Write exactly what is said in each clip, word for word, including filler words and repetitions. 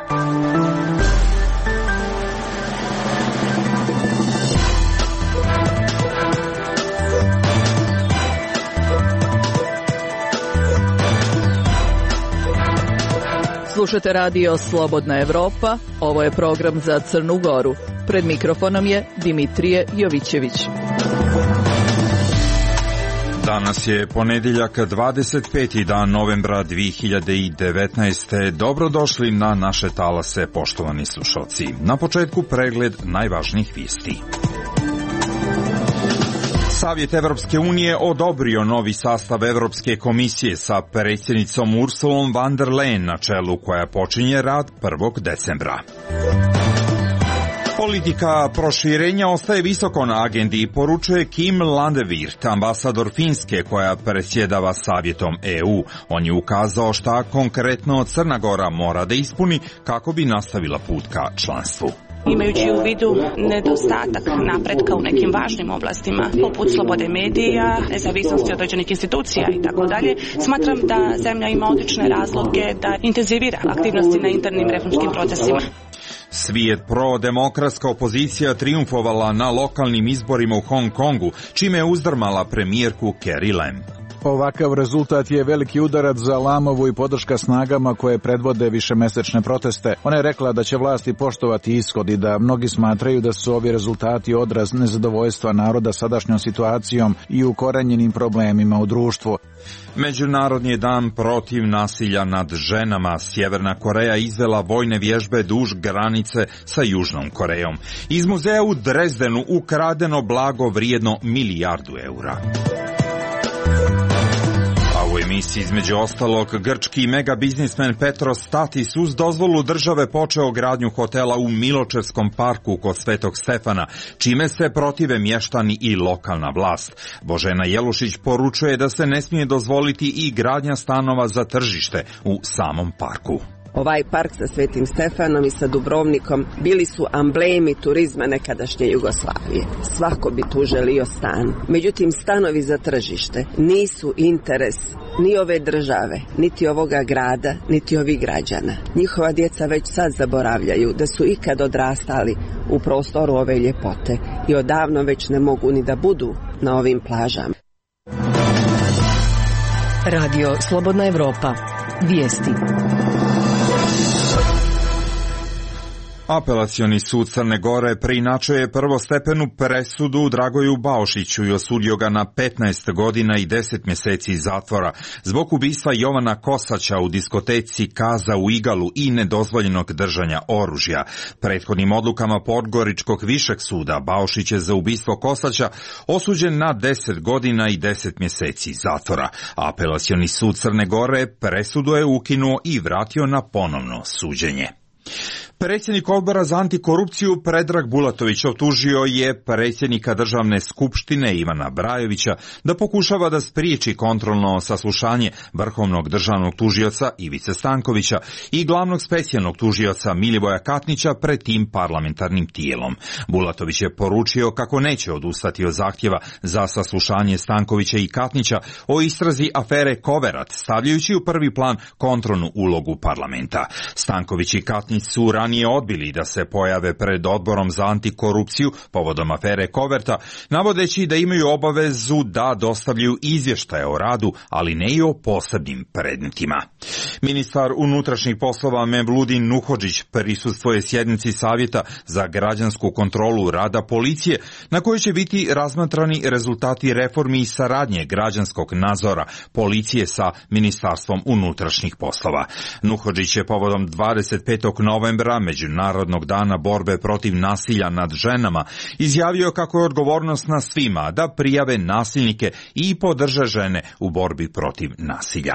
Slušate radio Slobodna Evropa, ovo je program za Crnu Goru. Pred mikrofonom je Dimitrije Jovićević. Danas je ponedjeljak, dvadeset peti dan novembra dvije hiljade devetnaeste. Dobrodošli na naše talase, poštovani slušalci. Na početku pregled najvažnijih vijesti. Savjet Evropske unije odobrio novi sastav Evropske komisije sa predsjednicom Ursulom von der Leyen na čelu, koja počinje rad prvog decembra. Politika proširenja ostaje visoko na agendi, poručuje Kim Landevirt, ambasador Finske koja predsjedava Savjetom E U. On je ukazao šta konkretno Crna Gora mora da ispuni kako bi nastavila put ka članstvu. Imajući u vidu nedostatak napretka u nekim važnim oblastima, poput slobode medija, nezavisnosti određenih institucija i tako dalje, smatram da zemlja ima odlične razloge da intenzivira aktivnosti na internim reformskim procesima. Svijet pro-demokratska opozicija triumfovala na lokalnim izborima u Hong Kongu, čime je uzdrmala premijerku Carrie Lam. Ovakav rezultat je veliki udarac za Lamovu i podrška snagama koje predvode višemesečne proteste. Ona je rekla da će vlasti poštovati ishod i da mnogi smatraju da su ovi rezultati odraz nezadovoljstva naroda sadašnjom situacijom i ukorenjenim problemima u društvu. Međunarodni je dan protiv nasilja nad ženama. Sjeverna Koreja izvela vojne vježbe duž granice sa Južnom Korejom. Iz muzeja u Drezdenu ukradeno blago vrijedno milijardu eura. U emisiji između ostalog, grčki megabiznismen Petros Statis uz dozvolu države počeo gradnju hotela u Miločevskom parku kod Svetog Stefana, čime se protive mještani i lokalna vlast. Božena Jelušić poručuje da se ne smije dozvoliti i gradnja stanova za tržište u samom parku. Ovaj park sa Svetim Stefanom i sa Dubrovnikom bili su amblemi turizma nekadašnje Jugoslavije. Svako bi tu želio stan. Međutim, stanovi za tržište nisu interes ni ove države, niti ovoga grada, niti ovih građana. Njihova djeca već sad zaboravljaju da su ikad odrastali u prostoru ove ljepote i odavno već ne mogu ni da budu na ovim plažama. Radio Slobodna Evropa. Vijesti. Apelacioni sud Crne Gore preinačuje prvostepenu presudu Dragoju Baušiću i osudio ga na petnaest godina i deset mjeseci zatvora zbog ubistva Jovana Kosaća u diskoteci Kaza u Igalu i nedozvoljenog držanja oružja. Prethodnim odlukama Podgoričkog višeg suda Baušić je za ubistvo Kosaća osuđen na deset godina i deset mjeseci zatvora. Apelacioni sud Crne Gore presudu je ukinuo i vratio na ponovno suđenje. Predsjednik odbora za antikorupciju Predrag Bulatović optužio je predsjednika državne skupštine Ivana Brajovića da pokušava da spriječi kontrolno saslušanje vrhovnog državnog tužioca Ivice Stankovića i glavnog specijalnog tužioca Milivoja Katnića pred tim parlamentarnim tijelom. Bulatović je poručio kako neće odustati od zahtjeva za saslušanje Stankovića i Katnića o istrazi afere Koverat, stavljajući u prvi plan kontrolnu ulogu parlamenta. Stanković i Katnić su ranije odbili da se pojave pred odborom za antikorupciju povodom afere Koverta, navodeći da imaju obavezu da dostavljaju izvještaje o radu, ali ne i o posebnim predmetima. Ministar unutrašnjih poslova Mevludin Nuhodžić prisustvuje sjednici Savjeta za građansku kontrolu rada policije, na kojoj će biti razmatrani rezultati reformi i saradnje građanskog nadzora policije sa Ministarstvom unutrašnjih poslova. Nuhodžić je povodom dvadeset petog novembra, Međunarodnog dana borbe protiv nasilja nad ženama, izjavio kako je odgovornost na svima da prijave nasilnike i podrže žene u borbi protiv nasilja.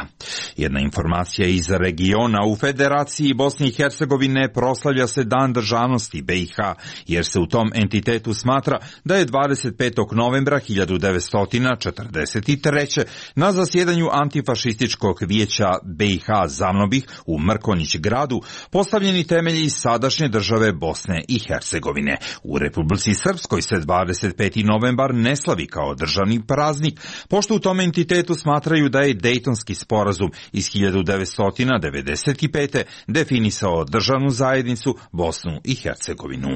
Jedna informacija iz regiona: u Federaciji Bosne i Hercegovine proslavlja se Dan državnosti B i H, jer se u tom entitetu smatra da je dvadeset petog novembra hiljadu devetsto četrdeset treće. na zasjedanju Antifašističkog vijeća B i H Zavnobih u Mrkonjić gradu postavljeni temelji sadašnje države Bosne i Hercegovine. U Republici Srpskoj se dvadeset peti novembar ne slavi kao državni praznik, pošto u tom entitetu smatraju da je Dejtonski sporazum iz hiljadu devetsto devedeset pete. definisao državnu zajednicu Bosnu i Hercegovinu.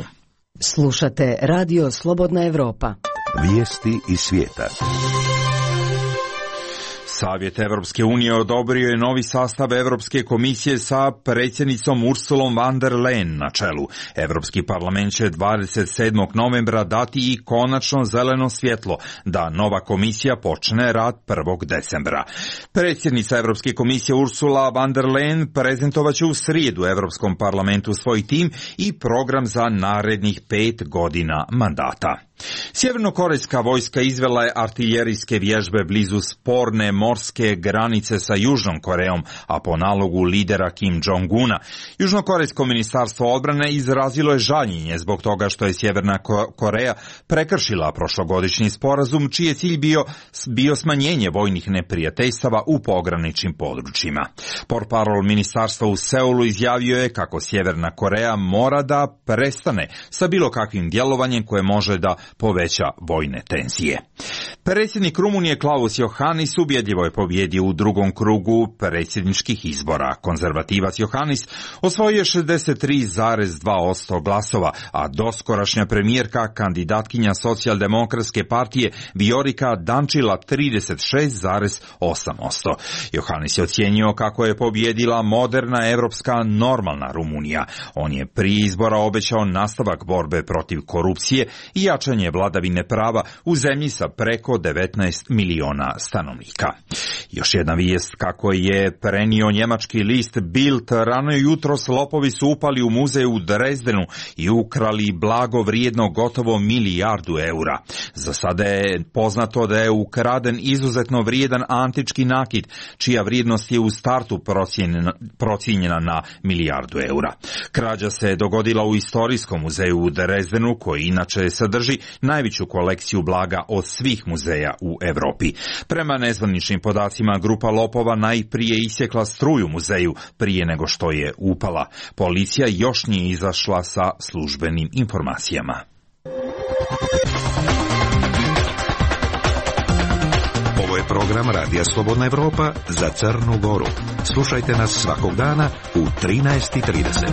Slušate Radio Slobodna Evropa. Vijesti iz svijeta. Savjet Evropske unije odobrio je novi sastav Evropske komisije sa predsjednicom Ursulom von der Leyen na čelu. Evropski parlament će dvadeset sedmog novembra dati i konačno zeleno svjetlo da nova komisija počne rad prvog decembra. Predsjednica Evropske komisije Ursula von der Leyen prezentovaće u srijedu Evropskom parlamentu svoj tim i program za narednih pet godina mandata. Sjevernokorejska vojska izvela je artiljerijske vježbe blizu sporne morske granice sa Južnom Korejom, a po nalogu lidera Kim Jong-una. Južnokorejsko ministarstvo odbrane izrazilo je žaljenje zbog toga što je Sjeverna Koreja prekršila prošlogodišnji sporazum, čiji je cilj bio, bio smanjenje vojnih neprijateljstava u pograničnim područjima. Portparol ministarstva u Seulu izjavio je kako Sjeverna Koreja mora da prestane sa bilo kakvim djelovanjem koje može da poveća vojne tenzije. Predsjednik Rumunije Klaus Iohannis ubjedljivo je pobjedio u drugom krugu predsjedničkih izbora. Konzervativac Iohannis osvojio je šezdeset tri zarez dva posto glasova, a doskorašnja premijerka, kandidatkinja socijaldemokratske partije Viorica Dančila trideset šest zarez osam posto. Iohannis je ocijenio kako je pobjedila moderna evropska normalna Rumunija. On je prije izbora obećao nastavak borbe protiv korupcije i jačanje vladavine prava u zemlji sa preko devetnaest miliona stanovnika. Još jedna vijest kako je prenio njemački list Bild, rano jutros lopovi su upali u muzej u Drezdenu i ukrali blago vrijedno gotovo milijardu eura. Za sada je poznato da je ukraden izuzetno vrijedan antički nakit, čija vrijednost je u startu procijenjena, procijenjena na milijardu eura. Krađa se dogodila u istorijskom muzeju u Drezdenu, koji inače sadrži najveću kolekciju blaga od svih muzeja u Europi. Prema nezvaničnim podacima, grupa lopova najprije isjekla struju muzeju prije nego što je upala. Policija još nije izašla sa službenim informacijama. Ovo je program Radija Slobodna Evropa za Crnu Goru. Slušajte nas svakog dana u trinaest i trideset.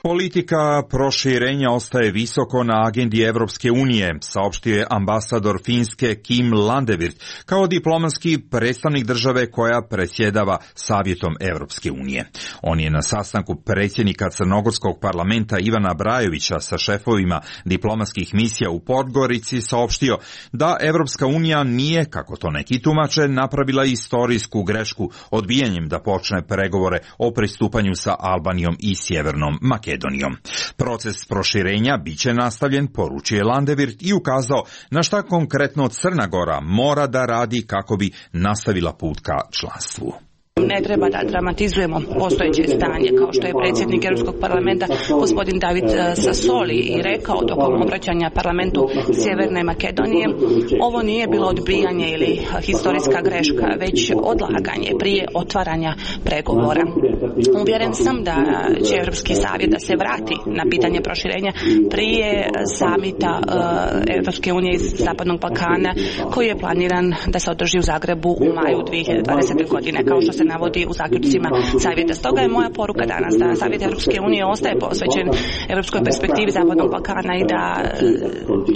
Politika proširenja ostaje visoko na agendi Evropske unije, saopštio je ambasador Finske Kim Landevirt kao diplomatski predstavnik države koja predsjedava Savjetom Evropske unije. On je na sastanku predsjednika Crnogorskog parlamenta Ivana Brajovića sa šefovima diplomatskih misija u Podgorici saopštio da Evropska unija nije, kako to neki tumače, napravila istorijsku grešku odbijanjem da počne pregovore o pristupanju sa Albanijom i Sjevernom Makedonijom. Proces proširenja biće nastavljen, poručio je Landevirt i ukazao na šta konkretno Crna Gora mora da radi kako bi nastavila put ka članstvu. Ne treba da dramatizujemo postojeće stanje, kao što je predsjednik Europskog parlamenta gospodin David Sassoli i rekao tokom obraćanja parlamentu Sjeverne Makedonije. Ovo nije bilo odbijanje ili historijska greška, već odlaganje prije otvaranja pregovora. Uvjeren sam da će Europski savjet da se vrati na pitanje proširenja prije samita Europske unije iz Zapadnog Balkana, koji je planiran da se održi u Zagrebu u maju dvije hiljade dvadesete. godine, kao što se navodi u zaključcima savjeta. Stoga je moja poruka danas da Savjet Europske unije ostaje posvećen europskoj perspektivi Zapadnog Balkana i da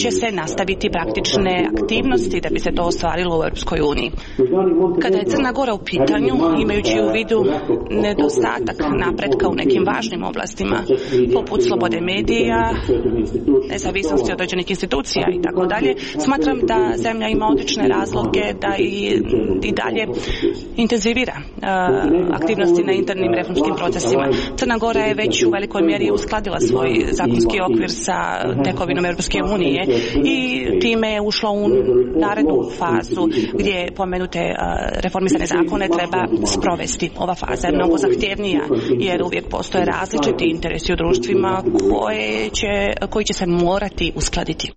će se nastaviti praktične aktivnosti da bi se to ostvarilo u Europskoj uniji. Kada je Crna Gora u pitanju, imajući u vidu nedostatak napretka u nekim važnim oblastima, poput slobode medija, nezavisnosti određenih institucija i tako dalje, smatram da zemlja ima odlične razloge da i, i dalje intenzivira aktivnosti na internim reformskim procesima. Crna Gora je već u velikoj mjeri uskladila svoj zakonski okvir sa tekovinom Europske unije i time je ušla u narednu fazu gdje pomenute reformisane zakone treba sprovesti. Ova faza je mnogo zahtjevnija jer uvijek postoje različiti interesi u društvima koje će, koji će se morati uskladiti.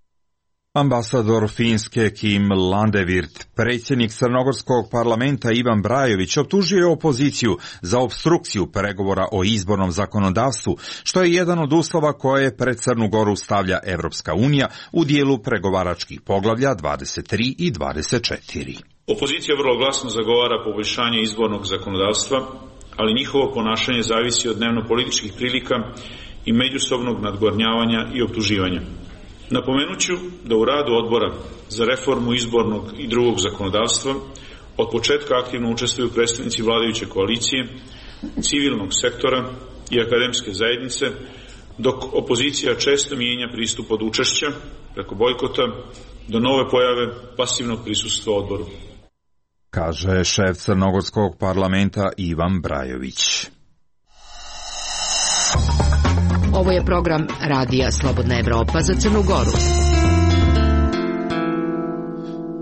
Ambasador Finske Kim Landevirt, predsjednik crnogorskog parlamenta Ivan Brajović optužio je opoziciju za opstrukciju pregovora o izbornom zakonodavstvu, što je jedan od uslova koje pred Crnu Goru stavlja Evropska unija u dijelu pregovaračkih poglavlja dvadeset tri i dvadeset četiri. Opozicija vrlo glasno zagovara poboljšanje izbornog zakonodavstva, ali njihovo ponašanje zavisi od dnevno-političkih prilika i međusobnog nadgornjavanja i optuživanja. Napomenut ću da u radu odbora za reformu izbornog i drugog zakonodavstva od početka aktivno učestvuju predstavnici vladajuće koalicije, civilnog sektora i akademske zajednice, dok opozicija često mijenja pristup od učešća preko bojkota do nove pojave pasivnog prisustva odboru. Kaže šef crnogorskog parlamenta Ivan Brajović. Ovo je program Radija Slobodna Evropa za Crnu Goru.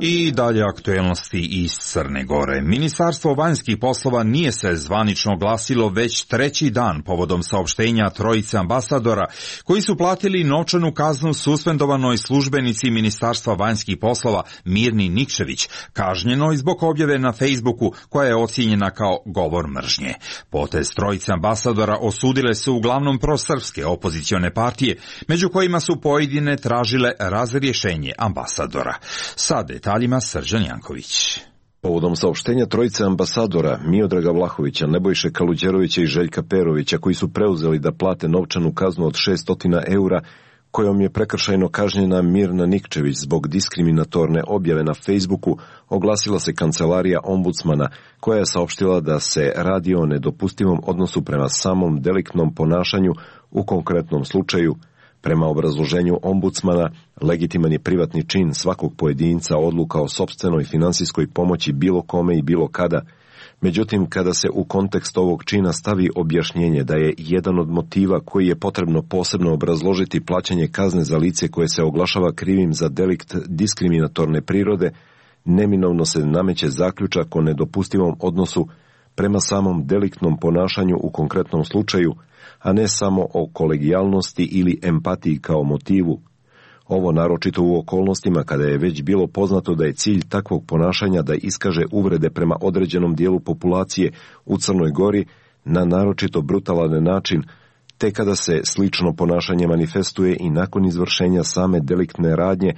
I dalje aktuelnosti iz Crne Gore. Ministarstvo vanjskih poslova nije se zvanično glasilo već treći dan povodom saopštenja trojice ambasadora koji su platili novčanu kaznu suspendovanoj službenici Ministarstva vanjskih poslova Mirni Nikčević, kažnjenoj zbog objave na Facebooku koja je ocijenjena kao govor mržnje. Potez trojice ambasadora osudile su uglavnom prosrpske opozicione partije, među kojima su pojedine tražile razrješenje ambasadora. Sad detaljima Srđan Janković. Povodom saopštenja trojice ambasadora Miodraga Vlahovića, Nebojše Kaluđerovića i Željka Perovića, koji su preuzeli da plate novčanu kaznu od šessto eura, kojom je prekršajno kažnjena Mirna Nikčević zbog diskriminatorne objave na Facebooku, oglasila se kancelarija ombudsmana, koja je saopštila da se radi o nedopustivom odnosu prema samom deliktnom ponašanju u konkretnom slučaju. Prema obrazloženju ombudsmana, legitiman je privatni čin svakog pojedinca odluka o sopstvenoj finansijskoj pomoći bilo kome i bilo kada. Međutim, kada se u kontekst ovog čina stavi objašnjenje da je jedan od motiva koji je potrebno posebno obrazložiti plaćanje kazne za lice koje se oglašava krivim za delikt diskriminatorne prirode, neminovno se nameće zaključak o nedopustivom odnosu prema samom deliktnom ponašanju u konkretnom slučaju, a ne samo o kolegijalnosti ili empatiji kao motivu. Ovo naročito u okolnostima kada je već bilo poznato da je cilj takvog ponašanja da iskaže uvrede prema određenom dijelu populacije u Crnoj Gori na naročito brutalan način, te kada se slično ponašanje manifestuje i nakon izvršenja same deliktne radnje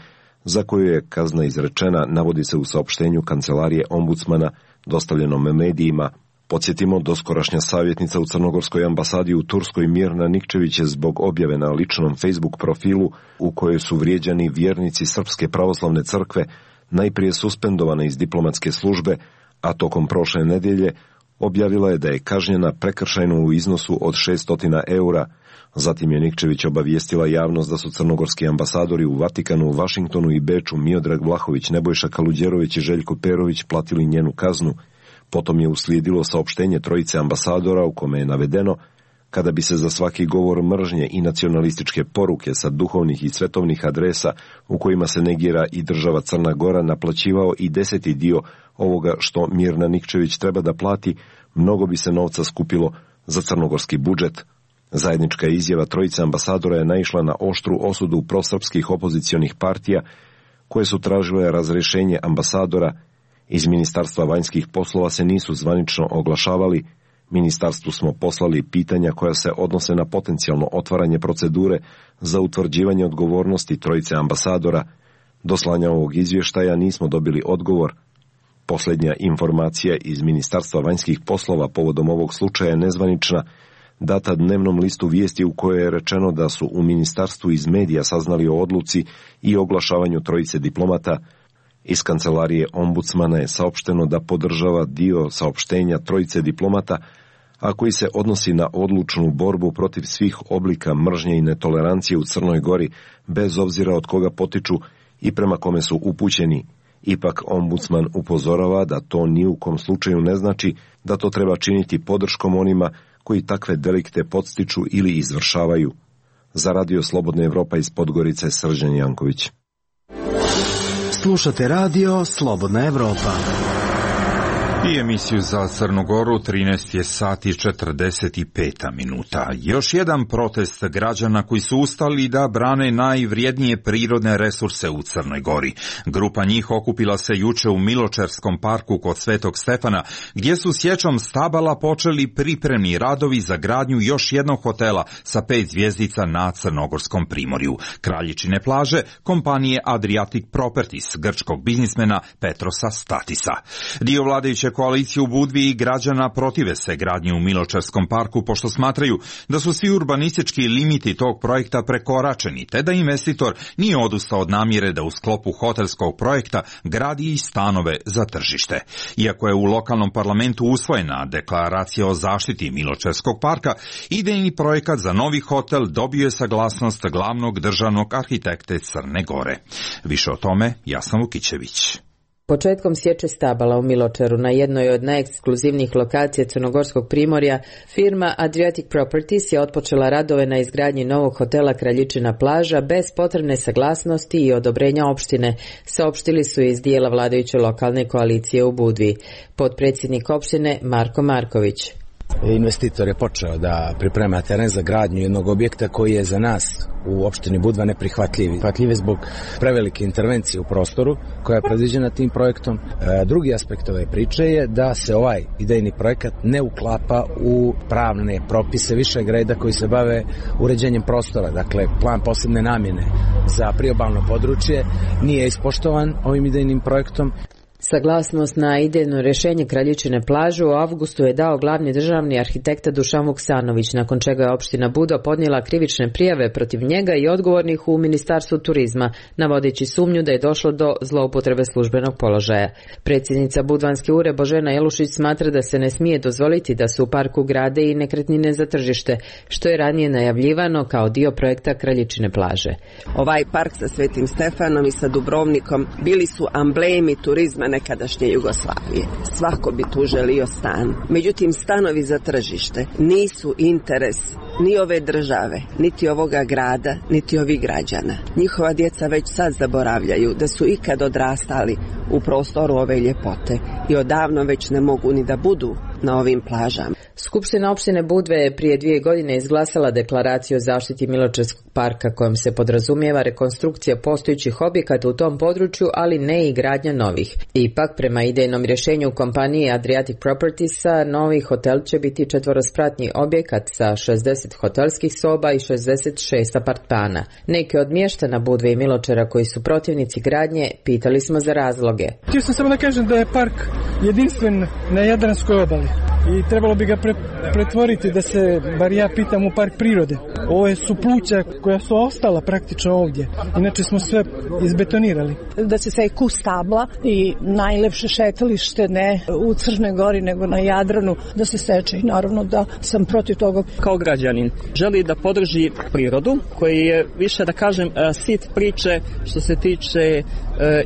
za koju je kazna izrečena, navodi se u saopštenju kancelarije ombudsmana dostavljenom medijima. Podsjetimo, doskorašnja savjetnica u Crnogorskoj ambasadi u Turskoj Mirna Nikčević je zbog objave na ličnom Facebook profilu u kojoj su vrijeđani vjernici Srpske pravoslavne crkve najprije suspendovana iz diplomatske službe, a tokom prošle nedjelje objavila je da je kažnjena prekršajno u iznosu od šessto eura. Zatim je Nikčević obavijestila javnost da su crnogorski ambasadori u Vatikanu, Vašingtonu i Beču Miodrag Vlahović, Nebojša Kaluđerović i Željko Perović platili njenu kaznu. Potom je uslijedilo saopštenje trojice ambasadora u kome je navedeno: kada bi se za svaki govor mržnje i nacionalističke poruke sa duhovnih i svetovnih adresa u kojima se negira i država Crna Gora naplaćivao i deseti dio ovoga što Mirna Nikčević treba da plati, mnogo bi se novca skupilo za crnogorski budžet. Zajednička izjava trojice ambasadora je naišla na oštru osudu prosrpskih opozicionih partija koje su tražile razrješenje ambasadora. Iz Ministarstva vanjskih poslova se nisu zvanično oglašavali. Ministarstvu smo poslali pitanja koja se odnose na potencijalno otvaranje procedure za utvrđivanje odgovornosti trojice ambasadora. Do slanja ovog izvještaja nismo dobili odgovor. Posljednja informacija iz Ministarstva vanjskih poslova povodom ovog slučaja je nezvanična, data dnevnom listu vijesti u kojoj je rečeno da su u ministarstvu iz medija saznali o odluci i oglašavanju trojice diplomata. Iz kancelarije ombudsmana je saopšteno da podržava dio saopštenja trojice diplomata, a koji se odnosi na odlučnu borbu protiv svih oblika mržnje i netolerancije u Crnoj Gori, bez obzira od koga potiču i prema kome su upućeni. Ipak ombudsman upozorava da to ni u kom slučaju ne znači da to treba činiti podrškom onima koji takve delikte podstiču ili izvršavaju. Za Radio Slobodna Evropa iz Podgorice, Srđan Janković. Slušate Radio Slobodna Evropa. I emisiju za Crnu Goru, trinaest je sati i četrdeset pet minuta. Još jedan protest građana koji su ustali da brane najvrijednije prirodne resurse u Crnoj Gori. Grupa njih okupila se juče u Miločerskom parku kod Svetog Stefana, gdje su sječom stabala počeli pripremni radovi za gradnju još jednog hotela sa pet zvjezdica na Crnogorskom primorju. Kraljičine plaže kompanije Adriatic Properties, grčkog biznismena Petrosa Statisa. Dio vladajuće koalicije u Budvi i građana protive se gradnji u Miločerskom parku, pošto smatraju da su svi urbanistički limiti tog projekta prekoračeni, te da investitor nije odustao od namjere da u sklopu hotelskog projekta gradi i stanove za tržište. Iako je u lokalnom parlamentu usvojena deklaracija o zaštiti Miločerskog parka, idejni projekat za novi hotel dobio je saglasnost glavnog državnog arhitekte Crne Gore. Više o tome Jasna Vukićević. Početkom sječe stabala u Miločeru na jednoj od najekskluzivnijih lokacija Crnogorskog primorja, firma Adriatic Properties je otpočela radove na izgradnji novog hotela Kraljičina plaža bez potrebne saglasnosti i odobrenja opštine, saopštili su iz dijela vladajuće lokalne koalicije u Budvi. Potpredsjednik opštine Marko Marković. Investitor je počeo da priprema teren za gradnju jednog objekta koji je za nas u opštini Budva neprihvatljiv. Prihvatljiv je zbog prevelike intervencije u prostoru koja je predviđena tim projektom. E, drugi aspekt ove priče je da se ovaj idejni projekat ne uklapa u pravne propise višeg reda koji se bave uređenjem prostora. Dakle, plan posebne namjene za priobalno područje nije ispoštovan ovim idejnim projektom. Saglasnost na idejno rješenje Kraljičine plaže u avgustu je dao glavni državni arhitekta Dušan Vuksanović, nakon čega je opština Budva podnijela krivične prijave protiv njega i odgovornih u Ministarstvu turizma, navodeći sumnju da je došlo do zloupotrebe službenog položaja. Predsjednica Budvanske ure Božena Jelušić smatra da se ne smije dozvoliti da se u parku grade i nekretnine za tržište, što je ranije najavljivano kao dio projekta Kraljičine plaže. Ovaj park sa Svetim Stefanom i sa Dubrovnikom bili su amblemi turizma nekadašnje Jugoslavije. Svako bi tu želio stan. Međutim, stanovi za tržište nisu interes ni ove države, niti ovoga grada, niti ovih građana. Njihova djeca već sad zaboravljaju da su ikad odrastali u prostoru ove ljepote i odavno već ne mogu ni da budu na ovim plažama. Skupština opštine Budve je prije dvije godine izglasala deklaraciju o zaštiti Miločerskog parka kojom se podrazumijeva rekonstrukcija postojećih objekata u tom području, ali ne i gradnja novih. Ipak, prema idejnom rješenju kompanije Adriatic Propertiesa, novi hotel će biti četvorospratni objekat sa šezdeset hotelskih soba i šezdeset šest apartmana. Neki od mještana Budve i Miločera koji su protivnici gradnje pitali smo za razloge. Htio sam samo da kažem da je park jedinstven na Jadranskoj obali i trebalo bi ga pre, pretvoriti da se, bar ja pitam, u park prirode. Ovo su pluća koja su ostala praktično ovdje, inače smo sve izbetonirali. Da se seku stabla i najlepše šetalište ne u Crnoj Gori nego na Jadranu da se seče i naravno da sam protiv toga. Kao građanin želi da podrži prirodu koji je više da kažem sit priče što se tiče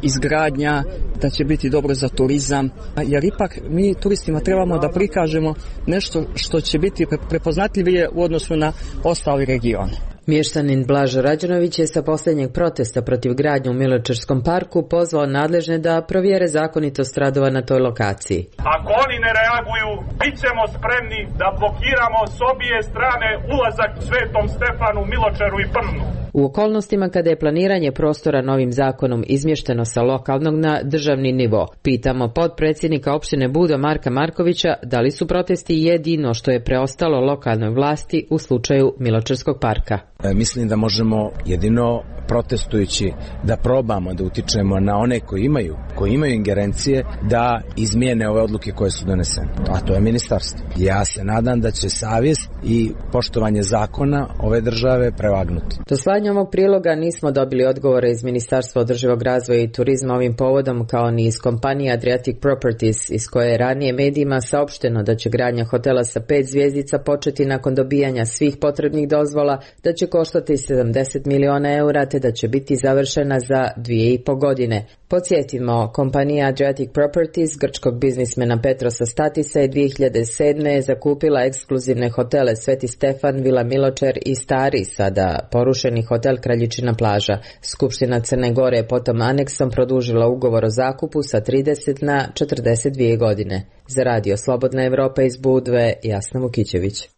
izgradnja, da će biti dobro za turizam, jer ipak mi turistima trebamo da prikažemo nešto što će biti prepoznatljivije u odnosu na ostali region. Mještanin Blažo Rađanović je sa posljednjeg protesta protiv gradnje u Miločerskom parku pozvao nadležne da provjere zakonitost radova na toj lokaciji. Ako oni ne reaguju, bit ćemo spremni da blokiramo s obje strane ulazak Svetom Stefanu, Miločeru i Prnu. U okolnostima kada je planiranje prostora novim zakonom izmješteno sa lokalnog na državni nivo, pitamo potpredsjednika opštine Budva Marka Markovića da li su protesti jedino što je preostalo lokalnoj vlasti u slučaju Miločerskog parka. E, mislim da možemo jedino protestujući da probamo da utičemo na one koji imaju, koji imaju ingerencije da izmijene ove odluke koje su donesene. A to je ministarstvo. Ja se nadam da će savjest i poštovanje zakona ove države prevagnuti. Do slanja ovog priloga nismo dobili odgovore iz Ministarstva održivog razvoja i turizma ovim povodom, kao ni iz kompanije Adriatic Properties, iz koje je ranije medijima saopšteno da će gradnja hotela sa pet zvjezdica početi nakon dobijanja svih potrebnih dozvola, da će koštati sedamdeset miliona eura te da će biti završena za dvije i po godine. Podsjetimo, kompanija Adriatic Properties grčkog biznismena Petrosa Statisa je dvije hiljade sedme. zakupila ekskluzivne hotele Sveti Stefan, Vila Miločer i Stari, sada porušeni hotel Kraljičina plaža. Skupština Crne Gore je potom aneksom produžila ugovor o zakupu sa trideset na četrdeset dvije godine. Za Radio Slobodna Evropa iz Budve, Jasna Vukićević.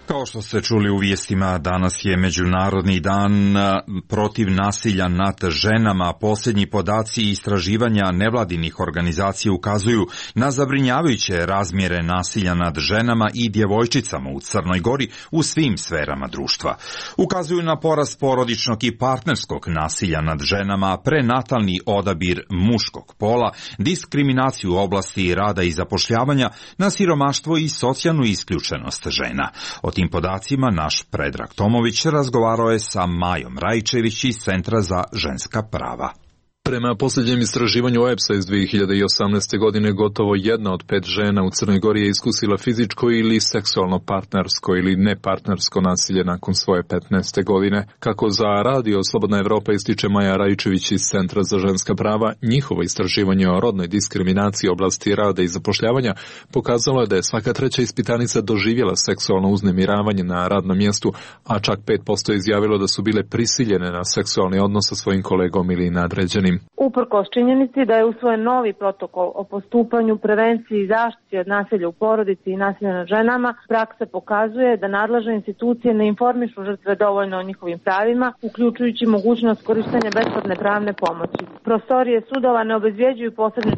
Kao što ste čuli u vijestima, danas je Međunarodni dan protiv nasilja nad ženama. Posljednji podaci i istraživanja nevladinih organizacija ukazuju na zabrinjavajuće razmjere nasilja nad ženama i djevojčicama u Crnoj Gori u svim sferama društva. Ukazuju na porast porodičnog i partnerskog nasilja nad ženama, prenatalni odabir muškog pola, diskriminaciju u oblasti rada i zapošljavanja, na siromaštvo i socijalnu isključenost žena. O tim podacima naš Predrag Tomović razgovarao je sa Majom Rajčević iz Centra za ženska prava. Prema posljednjem istraživanju O E P S-a iz dvije hiljade osamnaeste. godine, gotovo jedna od pet žena u Crnoj Gori je iskusila fizičko ili seksualno partnersko ili nepartnersko nasilje nakon svoje petnaeste. godine. Kako za Radio Slobodna Evropa ističe Maja Rajčević iz Centra za ženska prava, njihovo istraživanje o rodnoj diskriminaciji oblasti rada i zapošljavanja pokazalo je da je svaka treća ispitanica doživjela seksualno uznemiravanje na radnom mjestu, a čak pet posto je izjavilo da su bile prisiljene na seksualni odnos sa svojim kolegom ili nadređenim. Uprkos činjenici da je usvojen novi protokol o postupanju, prevenciji i zaštiti od nasilja u porodici i nasilja nad ženama, praksa pokazuje da nadležne institucije ne informišu žrtve dovoljno o njihovim pravima, uključujući mogućnost korištenja besplatne pravne pomoći. Prostorije sudova ne obezvjeđuju posebne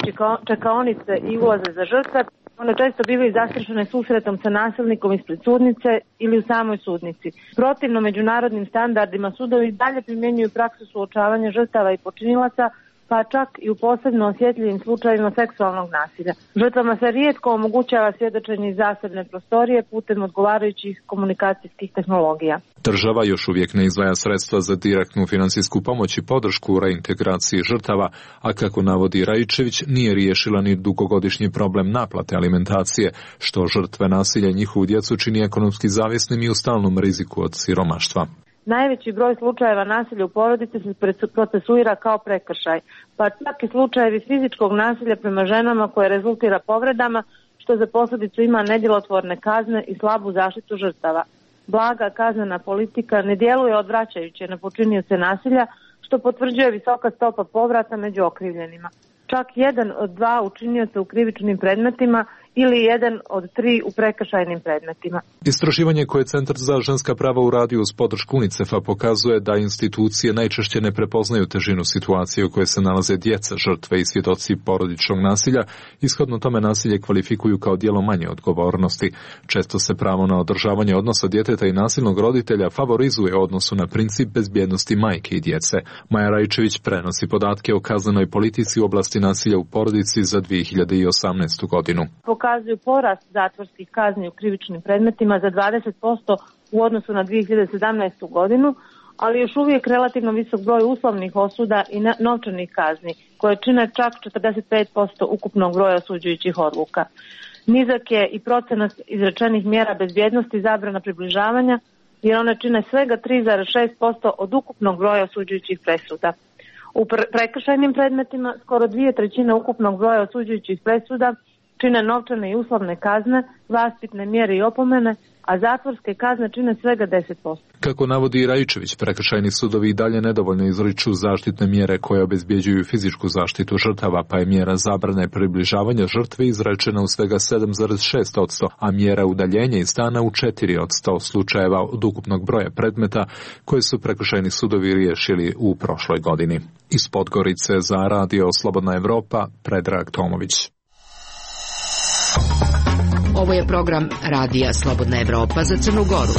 čekaonice i ulaze za žrtve, one često bivaju zastrašene susretom sa nasilnikom ispred sudnice ili u samoj sudnici. Protivno međunarodnim standardima, sudovi dalje primjenjuju praksu suočavanja žrtava i počinilaca, pa čak i u posebno osjetljivim slučajevima seksualnog nasilja. Žrtvama se rijetko omogućava svjedočenje iz zasebne prostorije putem odgovarajućih komunikacijskih tehnologija. Država još uvijek ne izdvaja sredstva za direktnu finansijsku pomoć i podršku u reintegraciji žrtava, a kako navodi Rajčević, nije riješila ni dugogodišnji problem naplate alimentacije, što žrtve nasilja i njihovu djecu čini ekonomski zavisnim i u stalnom riziku od siromaštva. Najveći broj slučajeva nasilja u porodici se procesuira kao prekršaj, pa čak i slučajevi fizičkog nasilja prema ženama koje rezultira povredama, što za posljedicu ima nedjelotvorne kazne i slabu zaštitu žrtava. Blaga kaznena politika ne djeluje odvraćajuće na počinioce nasilja, što potvrđuje visoka stopa povrata među okrivljenima. Čak jedan od dva učinioca u krivičnim predmetima ili jedan od tri u prekršajnim predmetima. Istraživanje koje Centar za ženska prava uradio uz podršku UNICEF-a pokazuje da institucije najčešće ne prepoznaju težinu situacije u kojoj se nalaze djeca, žrtve i svjedoci porodičnog nasilja, ishodno tome nasilje kvalifikuju kao djelo manje odgovornosti. Često se pravo na održavanje odnosa djeteta i nasilnog roditelja favorizuje u odnosu na princip bezbjednosti majke i djece. Maja Rajčević prenosi podatke o kaznenoj politici u oblasti nasilja u porodici za dvije hiljade osamnaestu. godinu. Pokazuju porast zatvorskih kazni u krivičnim predmetima za dvadeset posto u odnosu na dvije hiljade sedamnaestu. godinu, ali još uvijek relativno visok broj uslovnih osuda i novčanih kazni, koje čine čak četrdeset pet posto ukupnog broja osuđujućih odluka. Nizak je i procenat izrečenih mjera bezbjednosti i zabrana približavanja, jer one čine svega tri zarez šest posto od ukupnog broja osuđujućih presuda. U prekršajnim predmetima skoro dvije trećine ukupnog broja osuđujućih presuda čine novčane i uslovne kazne, vaspitne mjere i opomene, a zatvorske kazne čine svega deset posto. Kako navodi Rajčević, prekršajni sudovi i dalje nedovoljno izriču zaštitne mjere koje obezbjeđuju fizičku zaštitu žrtava, pa je mjera zabrane približavanja žrtve izrečena u svega sedam zarez šest posto, a mjera udaljenja iz stana u četiri od sto slučajeva od ukupnog broja predmeta koje su prekršajni sudovi riješili u prošloj godini. Iz Podgorice za Radio Slobodna Evropa, Predrag Tomović. Ovo je program Radija Slobodna Evropa za Crnu Goru.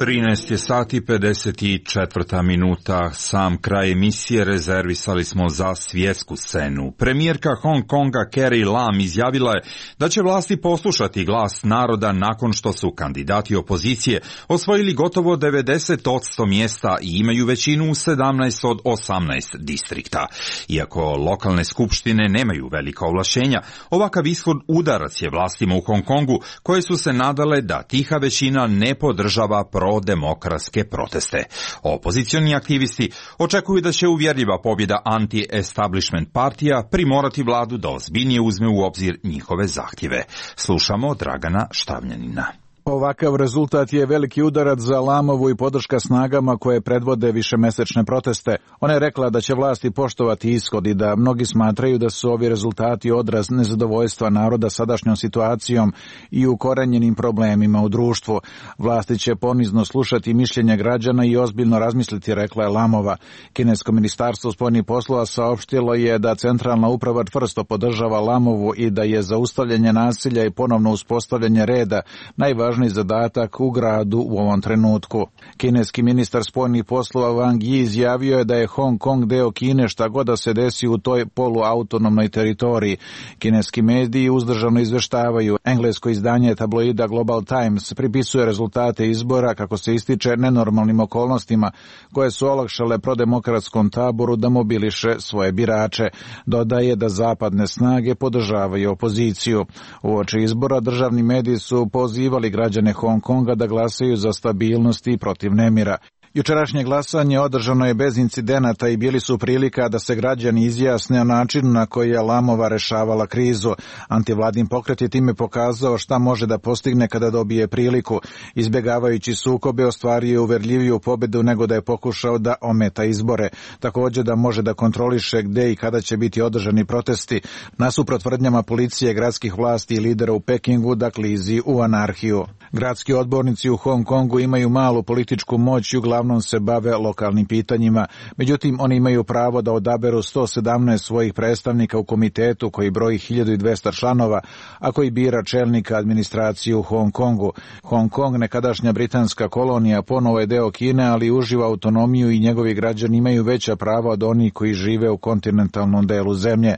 trinaest je sati pedeset četvrta minuta, sam kraj emisije rezervisali smo za svjetsku scenu. Premijerka Hong Konga Carrie Lam izjavila je da će vlasti poslušati glas naroda nakon što su kandidati opozicije osvojili gotovo devedeset posto mjesta i imaju većinu u sedamnaest od osamnaest distrikta. Iako lokalne skupštine nemaju velika ovlašćenja, ovakav ishod udarac je vlastima u Hong Kongu koje su se nadale da tiha većina ne podržava pro prodemokratske proteste. Opozicioni aktivisti očekuju da će uvjerljiva pobjeda anti-establishment partija primorati vladu da ozbiljnije uzme u obzir njihove zahtjeve. Slušamo Dragana Štavljanina. Ovakav rezultat je veliki udarac za Lamovu i podrška snagama koje predvode višemesečne proteste. Ona je rekla da će vlasti poštovati ishod i da mnogi smatraju da su ovi rezultati odraz nezadovoljstva naroda sadašnjom situacijom i ukorenjenim problemima u društvu. Vlasti će ponizno slušati mišljenja građana i ozbiljno razmisliti, rekla je Lamova. Kinesko ministarstvo spoljnih poslova saopštilo je da centralna uprava čvrsto podržava Lamovu i da je zaustavljanje nasilja i ponovno uspostavljanje reda najvažniji zadatak u gradu u ovom trenutku. Kineski ministar spoljnih poslova Wang Yi izjavio je da je Hong Kong deo Kine šta god da se desi u toj poluautonomnoj teritoriji. Kineski mediji uzdržano izveštavaju. Englesko izdanje tabloida Global Times pripisuje rezultate izbora, kako se ističe, nenormalnim okolnostima koje su olakšale prodemokratskom taboru da mobiliše svoje birače. Dodaje da zapadne snage podržavaju opoziciju. Uoči izbora državni mediji su pozivali građane Hong Konga da glasaju za stabilnost i protiv nemira. Jučerašnje glasanje održano je bez incidenata i bili su prilika da se građani izjasne o načinu na koji je Lamova rešavala krizu. Antivladin pokret je time pokazao šta može da postigne kada dobije priliku. Izbjegavajući sukobe, ostvario je uverljiviju pobedu nego da je pokušao da ometa izbore. Također da može da kontroliše gde i kada će biti održani protesti, nasuprot tvrdnjama policije, gradskih vlasti i lidera u Pekingu da klizi u anarhiju. Gradski odbornici u Hong Kongu imaju malu političku moć i uglavnom se bave lokalnim pitanjima. Međutim, oni imaju pravo da odaberu sto sedamnaest svojih predstavnika u komitetu koji broji hiljadu dvesta članova, a koji bira čelnika administracije u Hong Kongu. Hong Kong, nekadašnja britanska kolonija, ponovo je deo Kine, ali uživa autonomiju i njegovi građani imaju veća prava od onih koji žive u kontinentalnom delu zemlje.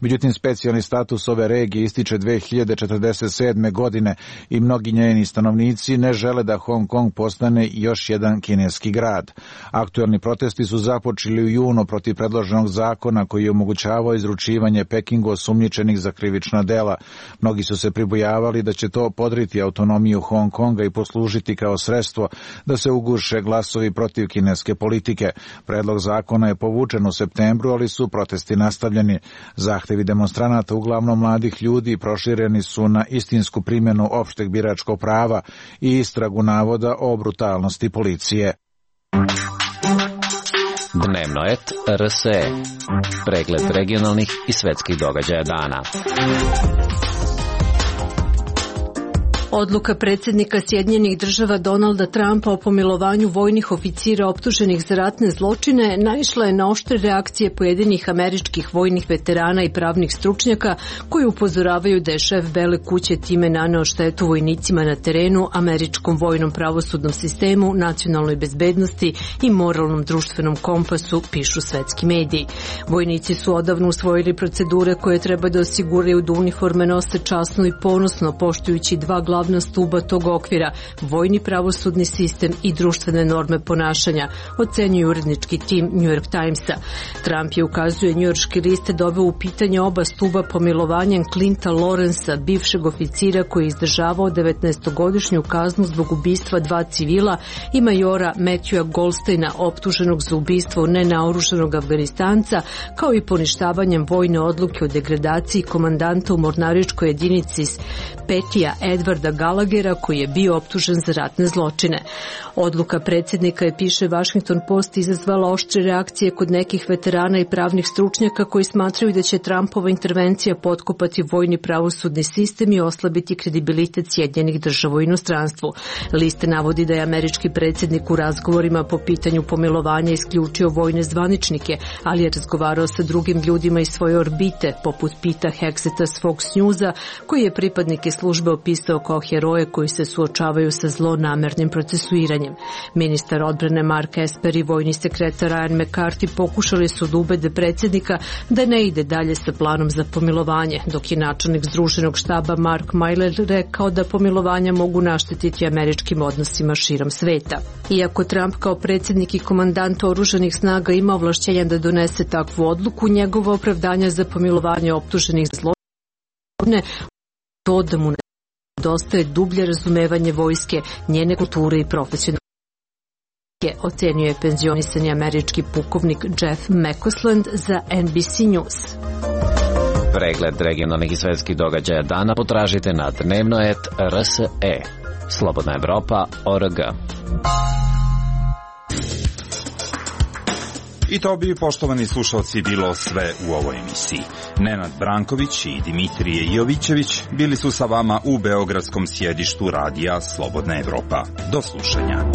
Međutim, specijalni status ove regije ističe dve hiljade četrdeset sedme. godine i mnogi njeni stanovnici ne žele da Hong Kong postane još jedan kineski grad. Aktuelni protesti su započeli u junu protiv predloženog zakona koji je omogućavao izručivanje Pekingu osumnjičenih za krivična dela. Mnogi su se pribojavali da će to podriti autonomiju Hong Konga i poslužiti kao sredstvo da se uguše glasovi protiv kineske politike. Predlog zakona je povučen u septembru, ali su protesti nastavljeni. Zahtevi demonstranata, uglavnom mladih ljudi, prošireni su na istinsku primjenu opšteg biračkog prava i istragu navoda o brutalnosti policije. Dnevno et R S E. Pregled regionalnih i svetskih događaja dana. Odluka predsjednika Sjedinjenih država Donalda Trumpa o pomilovanju vojnih oficira optuženih za ratne zločine naišla je na oštre reakcije pojedinih američkih vojnih veterana i pravnih stručnjaka koji upozoravaju da je šef Bele kuće time naneo štetu vojnicima na terenu, američkom vojnom pravosudnom sistemu, nacionalnoj bezbednosti i moralnom društvenom kompasu, pišu svetski mediji. Vojnici su odavno usvojili procedure koje treba da osiguraju da uniforme nose časno i ponosno, poštujući dva glavna glavna stuba tog okvira, vojni pravosudni sistem i društvene norme ponašanja, ocenjuje urednički tim New York Timesa. Trump je, ukazuje njujorški list, doveo u pitanje oba stuba pomilovanjem Clinta Lawrencea, bivšeg oficira koji je izdržavao devetnaestogodišnju kaznu zbog ubistva dva civila, i majora Matthewa Goldsteina, optuženog za ubistvo nenaoružanog Afganistanca, kao i poništavanjem vojne odluke o degradaciji komandanta u mornaričkoj jedinici Petija Edwarda Gallaghera, koji je bio optužen za ratne zločine. Odluka predsjednika je, piše Washington Post, izazvala oštre reakcije kod nekih veterana i pravnih stručnjaka koji smatraju da će Trumpova intervencija potkopati vojni pravosudni sistem i oslabiti kredibilitet Sjedinjenih država u inostranstvu. List navodi da je američki predsjednik u razgovorima po pitanju pomilovanja isključio vojne zvaničnike, ali je razgovarao sa drugim ljudima iz svoje orbite, poput Pita Hexeta s Fox Newsa, koji je pripadnike službe opisao kao heroje koji se suočavaju sa zlonamernim procesuiranjem. Ministar odbrane Mark Esper i vojni sekretar Ryan McCarthy pokušali su da ubede predsjednika da ne ide dalje sa planom za pomilovanje, dok je načelnik Združenog štaba Mark Milley rekao da pomilovanja mogu naštetiti američkim odnosima širom sveta. Iako Trump kao predsjednik i komandant oružanih snaga ima ovlašćenja da donese takvu odluku, njegova opravdanja za pomilovanje optuženih za zločine to da mu nedostaje dublje razumevanje vojske, njene kulture i profesionalnosti. ocenjuje penzionisani američki pukovnik Jeff McCausland za N B C News. Pregled regionalnih i svetskih događaja dana potražite na dnevnoet R S E. Slobodna Evropa O R G. I to bi, poštovani slušalci, bilo sve u ovoj emisiji. Nenad Branković i Dimitrije Jovićević bili su sa vama u beogradskom sjedištu radija Slobodna Evropa. Do slušanja.